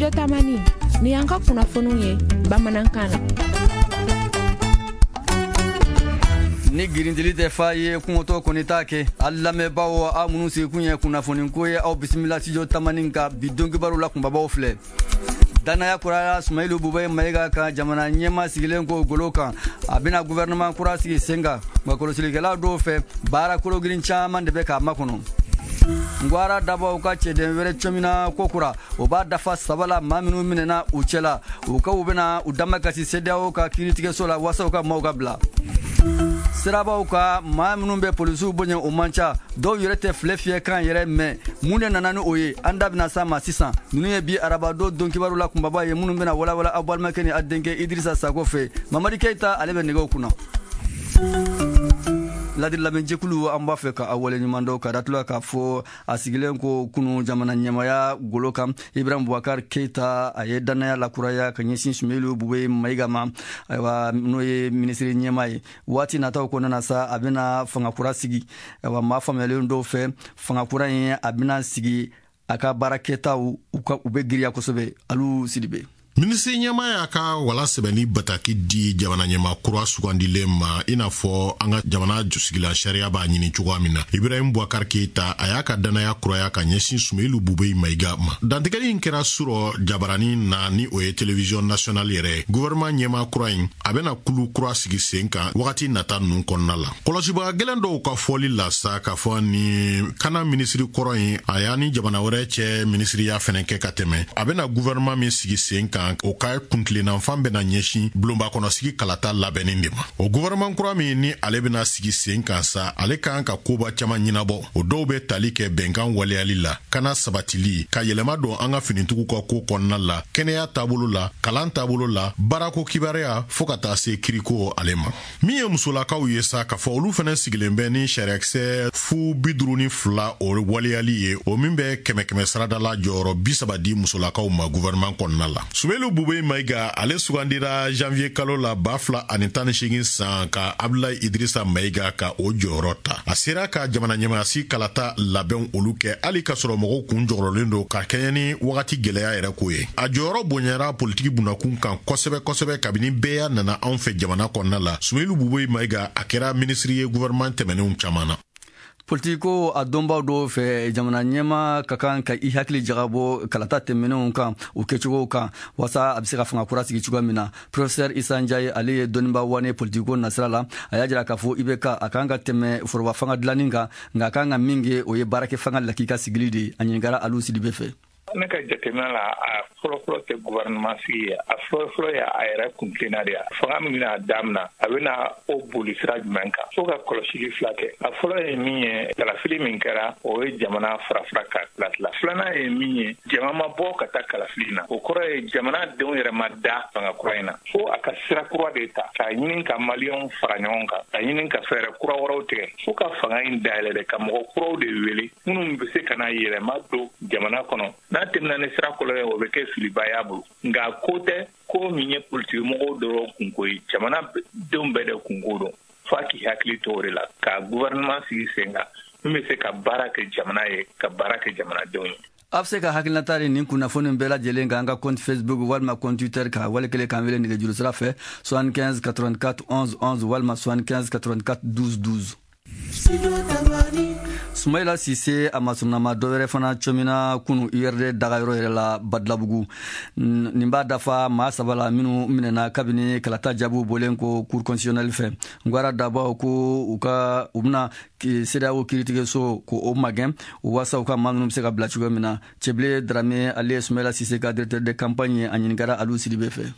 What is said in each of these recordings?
Studio Tamani, ni y'an ka kunnafoniw ye bamanankan na. Ni girindili tɛ fa ye, kungotɔ kɔni t'a kɛ. A lamɛnbaaw, aw minnu sigikun ye kunnafoniko ye, aw bisimila Studio Tamani ka bi don kibaru la. Kunbabaw filɛ: danaya kuraya Sumayilu Bubɛyi Mayiga kan jamana ɲɛma sigilen ko golo kan, a bɛna gouvernement kura sigi sen kan. Nka kɔlɔsilikɛla dɔw fɛ, baara kologirin caman de bɛ k'a makɔnɔ. Ngwara dabaw ka cɛden wɛrɛ cɔmina kokura, o b'a dafa saba la maa minnu minɛna u cɛla. U ka u bɛna u damakasi CEDEAO ka kiiritigɛso la waasa u ka maaw ka bila sirabaw ka. Maa minnu bɛ polisiw bonya, o man ca, dɔw yɛrɛ tɛ filɛ fiyɛ kan yɛrɛ mɛn. Mun de nana ni o ye? An da bɛna s'a ma sisan. Ninnu ye bi arabadon don kibaru la kunbaba ye, minnu bɛna walawala aw balimakɛ ni a denkɛ Idirisa Sako fɛ. Mamadi Keyita, ale bɛ nɛgɛw kunna. Ladiri lamɛnjɛkulu, an b'a fɛ ka aw waleɲuman dɔn ka datula k'a fɔ a sigilen ko kunu jamana ɲɛmaya golo kan, Ibrahim Bubakar Keita, a ye dannaya lakuraya ka ɲɛsin Sumeyilu Bube Mayiga ma. Ayiwa, n'o ye minisiri ɲɛma ye, waati nataw kɔnɔna sa, a bɛna fanga kura sigi. Ayiwa, maa faamuyalen dɔw fɛ, fanga kura in a bɛna sigi, a ka baarakɛtaw u ka u bɛ giriya kosɛbɛ. Alu Sidibe. Minisiri ɲɛma y'a ka wala sɛbɛnni bataki di jamana ɲɛma kura sugandilen ma, i n'a fɔ an ka jamana jusigila sariya b'a ɲini cogoya min na. Ibrahim Boubacar Keita, a y'a ka danaya kuraya ka ɲɛsin Sumeyilu Bubɛyi Mayiga ma. Dantigɛli in kɛra surɔ jabarani na, ni o ye télévision nationale yɛrɛ ye. Gouvernement ɲɛma kura in, a bɛna kulu kura sigi sen kan wagati nata ninnu kɔnɔna la. Kɔlɔsibaga gɛlɛn dɔw ka fɔli la sa, k'a fɔ ni kana minisiri kɔrɔ in, a y'a ni jamana wɛrɛ cɛ minisiriya fɛnɛ kɛ ka tɛmɛ, a bɛna gouvernement min sigi sen kan, o ka kuntilennanfan bɛna ɲɛsin bulonba kɔnɔsigi kalata labɛnni de ma. O gouvernement kura min ni ale bɛna sigi sen kan sa, ale kan ka koba caman ɲɛnabɔ. O dɔw bɛ tali kɛ bɛnkan waleyali la, kana sabatili, ka yɛlɛma don an ka finitigiw ka ko kɔnɔna la, kɛnɛya taabolo la, kalan taabolo la, baarako kibaruya, fɔɔ ka taa se kiriko ale ma. Min ye musolakaw ye sa, k'a fɔ olu fɛnɛ sigilen bɛ ni sariyakisɛ 052, o waleyali ye, o min bɛ kɛmɛ kɛmɛ sarada la jɔyɔrɔ 30 di musolakaw ma gouvernement kɔnɔna la. Sumelu Bubɛyi Mayiga, ale sugandira janvier kalo la 2018 san ka Abdulayi Idrisa Mayiga ka o jɔyɔrɔ ta. A sera ka jamana ɲɛmayasi kalata labɛnw olu kɛ, hali k'a sɔrɔ mɔgɔw kun jɔgɔrɔlen don ka kɛɲɛ ni wagati gwɛlɛya yɛrɛ ko ye. A jɔyɔrɔ bonyara politiki bunakun kan kosɛbɛ kosɛbɛ kabini bɛɛ y'a nana anw fɛ jamana kɔnɔna la. Sumelu Bubɛyi Mayiga, a kɛra minisiri ye gouvernement tɛmɛnenw caman na. Politiko a dɔnbaw dɔw fɛ, jamana ɲɛma ka kan ka i hakili jagabɔ kalata tɛmɛnenw kan, u kɛcogow kan, waasa a bɛ se ka fanga kura sigi cogoya min na. Professeur Isa Njaye, ale ye dɔnniba wane politiko nasira la. A y'a jira k'a fɔ IBK a kan ka tɛmɛ foroba fanga dilanni kan, nka a kan ka min kɛ, o ye baarakɛ fanga lakika sigili de ye. A ɲininkara Alu Sidibe fɛ. Ne ka jateminɛ la, a fɔlɔfɔlɔ tɛ gouvernement sigi ye, a fɔlɔfɔlɔ ye a yɛrɛ kuntilenna de ye. Fanga min bɛna daminɛ, a bɛna o boli sira jumɛn kan? Fo ka kɔlɔsili fila kɛ. A fɔlɔ ye min ye, kalafili min kɛra, o ye jamana farafara ka tila tila. Filanan ye min ye, jama ma bɔ ka taa kalafili na, o kɔrɔ ye jamana denw yɛrɛ ma da fanga kura in na. Fo a ka sira kura de ta k'a ɲini ka maliyɛnw fara ɲɔgɔn kan, ka ɲini ka fɛɛrɛ kura wɛrɛw tigɛ, fo ka fanga in dayɛlɛ de, ka mɔgɔ kuraw de wele minnu bɛ se ka na yɛlɛma don jamana kɔnɔ. N'a tɛmɛna ni sira kɔlɔ ye, o bɛ kɛ filiba y'a bolo. Nka ko tɛ ko min ye politikimɔgɔw dɔrɔn kunko ye, jamana denw bɛɛ de kunko don. F'a k'i hakili to o de la, ka gouvernement sigi sen kan min bɛ se ka baara kɛ jamana ye, ka baara kɛ jamanadenw ye. A bɛ se ka hakilinata di nin kunnafoni bɛɛ lajɛlen kan an ka compte Facebook walima compte Twitter kan, wali kelen k'an wele nɛgɛjuru sira fɛ 75 84 11 11 walima 75 84 12 12. Sumayila Sise, a masurunama dɔ wɛrɛ fana cɔmina kunu URD dagayɔrɔ yɛrɛ la Badalabugu. Nin b'a dafa maa saba la minnu minɛna kabini kalata jaabiw bɔlen ko Cour constitutionnelle fɛ. Ngwara dabaw ko u ka u bɛna CEDEAO kiiritigɛso ko o magɛn waasa u ka maa ninnu bɛ se ka bila cogoya min na. Cɛbile Darame, ale ye Sumayila Sise ka directeur de campagne ye. A ɲininkara Alu Sidibe fɛ.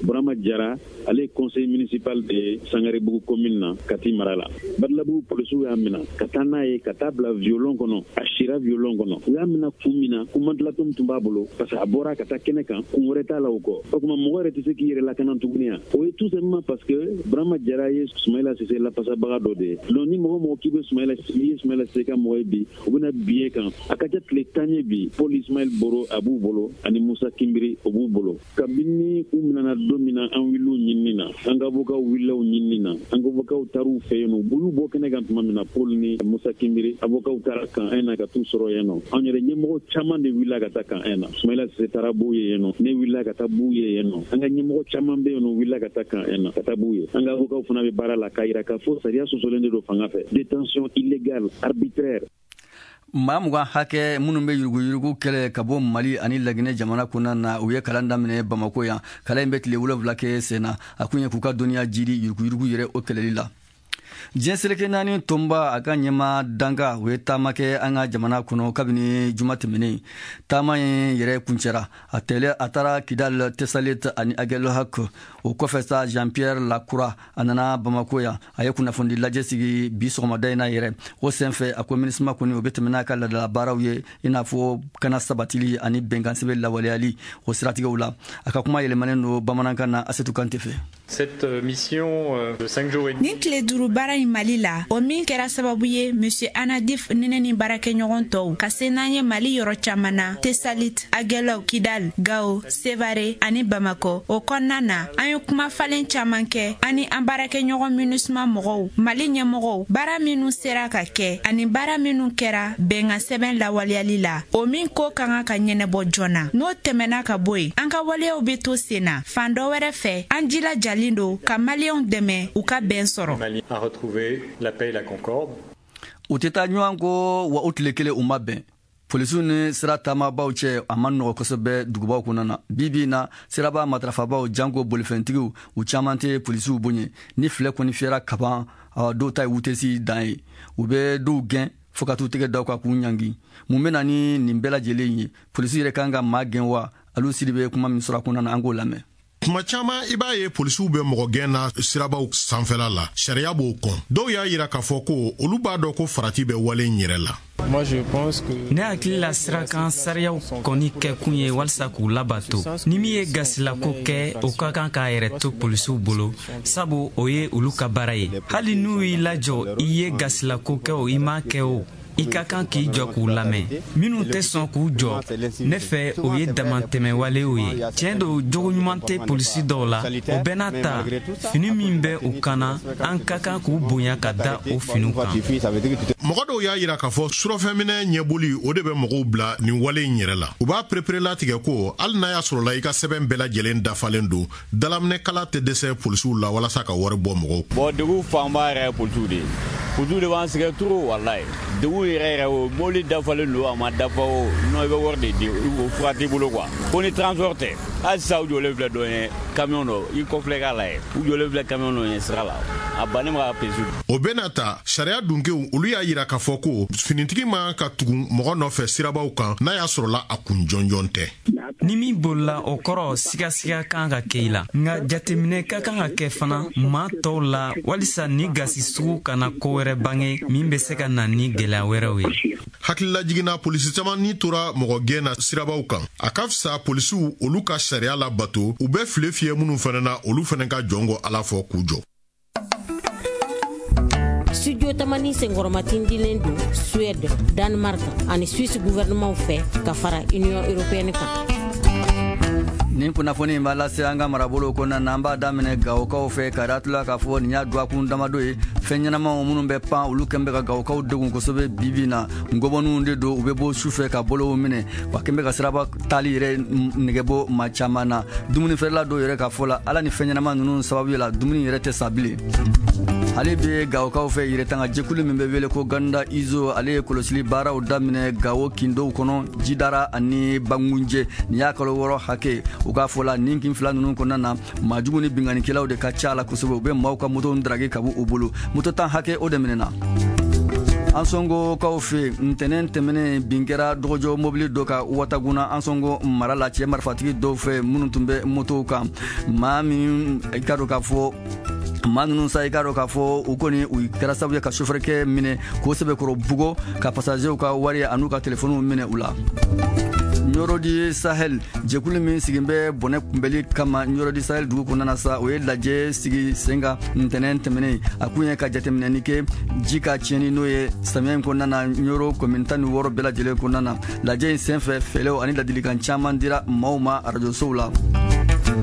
Burama Jara, ale ye conseil municipal de ye Sangarebugu commune na, Kati mara la. Badalabugu polisiw y'a minɛ ka taa n'a ye ka taa bila violon kɔnɔ. A sira violon kɔnɔ. U y'a minɛ kun min na, ko mantelatɔ tun b'a bolo, parce que a bɔra ka taa kɛnɛ kan, kun wɛrɛ t'a la o kɔ. O tuma mɔgɔ yɛrɛ tɛ se k'i yɛrɛ lakana tuguni yan. O ye tout simplement parce que Burama Jara ye Sumayila Sise lafasabaga dɔ de ye. Donc ni mɔgɔ mɔgɔ k'i bɛ Sumayila, n'i ye Sumayila Sise ka mɔgɔ ye bi, u bɛna bin e kan. A ka ca tile 10 ye bi, Paul Ismaël Boro a b'u bolo, ani Musa Kimbiri, o b'u bolo kabini u minɛna don min na. na, an wulila ɲinini na, an ka avocats wulila ɲinini na, an ka avocats taar'u fɛ yen nɔ. U y'u bɔ kɛnɛ kan tuma min na, Paul ni Musa Kimbiri avocats taara camp 1 na ka t'u sɔrɔ yen nɔ. Anw yɛrɛ ɲɛmɔgɔ caman de wulila ka taa camp 1 na. Sumayila Sise taara b'u ye yen nɔ, ne wulila ka taa b'u ye yen nɔ, an ka ɲɛmɔgɔ caman bɛ yen nɔ wulila ka taa camp 1 na ka taa b'u ye. An ka avocats fana bɛ baara la k'a yira k'a fɔ sariya sɔsɔlen de don fanga fɛ, détention illégale, arbitraire. Maa 20 hakɛ minnu bɛ yuruguyurugu kɛlɛ ka bɔ Mali ani Laginɛ jamana kɔnɔna na, u ye kalan daminɛ Bamako yan. Kalan in bɛ tile 7 kɛ sen na. A kun ye k'u ka dɔnniya jiri yuruguyurugu yɛrɛ o kɛlɛli la. Diɲɛ seleke naani tɔnba a ka ɲɛma danka, u ye taama kɛ an ka jamana kɔnɔ kabini juma tɛmɛnen. Taama in yɛrɛ kuncɛra a tɛlɛ, a taara Kidal, Tesalit ani Aguelhok. O kɔfɛ sa, Jean Pierre Lacroix a nana Bamako yan. A ye kunnafoni lajɛ sigi bi sɔgɔmada in na yɛrɛ. O senfɛ, a ko MINUSMA kɔni, o bɛ tɛmɛ n'a ka ladala baaraw ye, i n'a fɔ kana sabatili ani bɛnkan sɛbɛn lawaleyali o siratigɛw la. A ka kuma yɛlɛmanen don bamanankan na Asetu Kante fɛ. Cette mission de 5 jours et demi. Nin tile 5 baara in Mali la, o min kɛra sababu ye Monsieur Annadif, nene ni baarakɛɲɔgɔn tɔw ka se n'an ye Mali yɔrɔ caman na, Tesalit, Aguelhok, Kidal, Gao, Sevare ani Bamakɔ. O kɔnɔna na, an ye kuma falen caman kɛ ani an baarakɛɲɔgɔn MINUSMA mɔgɔw, Mali ɲɛmɔgɔw, baara minnu sera ka kɛ ani baara minnu kɛra bɛnkan sɛbɛn lawaleyali la, o min ko ka kan ka ɲɛnɛbɔ joona. N'o tɛmɛna ka bɔ yen, an ka waleyaw bɛ to sen na. Fan dɔ wɛrɛ fɛ, an jilajalen don ka Maliyɛnw dɛmɛ u ka bɛn sɔrɔ. Mali a retrouvé la paix et la concorde. U tɛ taa ɲɔgɔn kɔ wa, u tile kelen u ma bɛn. Polisiw ni sira taamabaw cɛ, a ma nɔgɔ kosɛbɛ dugubaw kɔnɔ na. Bi bi na, siraba matarafabaw, janko bolifɛntigiw, u caman tɛ polisiw bonya. Ni filɛ kɔni fiyɛra kaban, dɔw ta ye wutesi dan ye, u bɛ dɔw gɛn fo ka t'u tɛgɛ da u kan k'u ɲangi. Mun bɛ na ni nin bɛɛ lajɛlen ye? Polisi yɛrɛ kan ka maa gɛn wa? Alu Sidi bɛ kuma min sɔrɔ a kɔnɔna na, an k'o lamɛn. Tuma caman, i b'a ye polisiw bɛ mɔgɔ gɛn na sirabaw sanfɛla la, sariya b'o kɔn. Dɔw y'a yira k'a fɔ ko olu b'a dɔn ko farati bɛ wale in yɛrɛ la. Ne hakili la, sirakan sariyaw kɔni kɛkun ye walisa k'u labato. Ni min ye gasilako kɛ, o ka kan k'a yɛrɛ to polisiw bolo, sabu o ye olu ka baara ye. Hali n'u y'i lajɔ, i ye gasilako kɛ o, i m'a kɛ o, i ka kan k'i jɔ k'u lamɛn. Minnu tɛ sɔn k'u jɔ, ne fɛ, o ye damatɛmɛwalew ye. Tiɲɛ don, jogo ɲuman tɛ polisi dɔw la. O bɛɛ n'a ta, fini min bɛ u kan na, an ka kan k'u bonya ka da o finiw kan. Mɔgɔ dɔw y'a yira k'a fɔ surɔfɛnminɛ ɲɛboli, o de bɛ mɔgɔw bila nin wale in yɛrɛ la. U b'a pereperelatigɛ ko hali n'a y'a sɔrɔla i ka sɛbɛn bɛɛ lajɛlen dafalen don, dalaminɛkala tɛ dɛsɛ polisiw la walasa ka wari bɔ mɔgɔw. Bon, degun fanba yɛrɛ ye polisiw de ye. Polisiw de b'an sɛgɛn trop, walayi. Degun yɛrɛ yɛrɛ, o mobili dafalen don, a ma dafa o non, i bɛ wari de di, o fura t'i bolo quoi. Ko ni transport tɛ, hali sisan u jɔlen filɛ dɔ ɲɛ camion dɔ, i kɔfilɛ k'a lajɛ, u jɔlen filɛ camion dɔ ɲɛ sira la, a bannen bɛ ka polisiw. O bɛna ta, sariya dunkew, olu y'a yira k'a fɔ ko finitigi man ka tugu mɔgɔ nɔfɛ sirabaw kan n'a y'a sɔrɔla a kun jɔnjɔn tɛ. Ni min bolila, o kɔrɔ sigasiga kan ka kɛ i la. Nka jateminɛ ka kan ka kɛ fana maa tɔw la, walisa ni gasi sugu kana ko wɛrɛ bange min bɛ se ka na ni gɛlɛya wɛrɛw ye. Hakililajiginna, polisi caman ni tora mɔgɔ gɛn na sirabaw kan. A ka fisa polisiw olu ka sariya labato. U bɛ file fiyɛ minnu fana na, olu fana ka jɔn ko Ala fɔ k'u jɔ. Studio Tamani senkɔrɔmatindilen don Suède, Danemark ani Suisse gouvernement fɛ ka fara Union européenne kan. Nin kunnafoni in b'a lase an ka marabolo kɔnɔna na. An b'a daminɛ Gawokaw fɛ ka datula k'a fɔ nin y'a dɔgɔkun damadɔ ye, fɛn ɲɛnamaw minnu bɛ pan, olu kɛn bɛ ka Gawokaw degun kosɛbɛ. Bibi na, ngɔbɔninw de don. U bɛ bɔ su fɛ ka bolow minɛ wa, kɛn bɛ ka siraba taali yɛrɛ nɛgɛ bɔ maa caman na. Dumuni feerela dɔw yɛrɛ ka fɔ la, ala ni fɛn ɲɛnama ninnu sababu la, dumuni yɛrɛ tɛ sa bilen. Ale bɛ Gawokaw fɛ, yɛrɛtanga jɛkulu min bɛ wele ko Ganda Izo, ale ye kɔlɔsili baaraw daminɛ Gawo kindow kɔnɔ, Jidara ani Bangunjɛ. Nin y'a kalo 6 hakɛ. U k'a fɔ la, nin kin fila ninnu kɔnɔna na, maajugu ni binkannikɛlaw de ka ca la kosɛbɛ. U bɛ maaw ka motow daraki ka bɔ u bolo. Moto 10 hakɛ, o de minɛna. An sɔngokaw fɛ, ntɛnɛn tɛmɛnen, bin kɛra dɔgɔjɔ mobili dɔ ka Wataguna, an sɔngo mara la, cɛ marifatigi dɔw fɛ minnu tun bɛ motow kan. Maa min i ka dɔn k'a fɔ maa ninnu sa, i k'a dɔn k'a fɔ u kɔni, u kɛra sababu ye ka sofɛrikɛ minɛ k'o sɛbɛkɔrɔ bugɔ, ka pasazɛw ka wari an'u ka telefɔniw minɛ u la. Ɲɔrɔdi Sahel jɛkulu min sigin bɛ bɔnɛ kunbɛli kama Ɲɔrɔdi Sahel dugu kɔnɔna na sa, o ye lajɛ sigi sen kan ntɛnɛn tɛmɛnen. A kun ye ka jateminɛni kɛ ji ka tiɲɛni n'o ye samiya in kɔnɔna na Ɲɔrɔ commune 16 bɛɛ lajɛlen kɔnɔna na. Lajɛ in senfɛ, fɛlɛw ani ladilikan caman dira maaw ma arajosow la.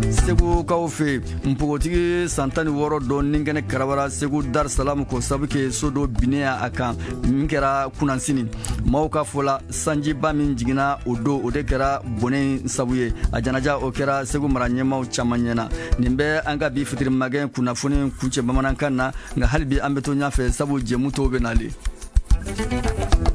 Segukaw fɛ npogotigi san 16 dɔ ni kɛnɛ karabara Segu Dar Salam, ko sabu kɛ so dɔ binnen a kan min kɛra kunansini. Maaw ka fɔ la, sanjiba min jiginna o don, o de kɛra bɔnɛ sabu ye. A janaja o kɛra Segu mara ɲɛmaw caman ɲɛna. Nin bɛ an ka bi fitiri magɛn kunnafoni kuncɛ bamanankan na, nka hali bi an bɛ to ɲɛfɛ, sabu jɛmu tɔw bɛ nalen.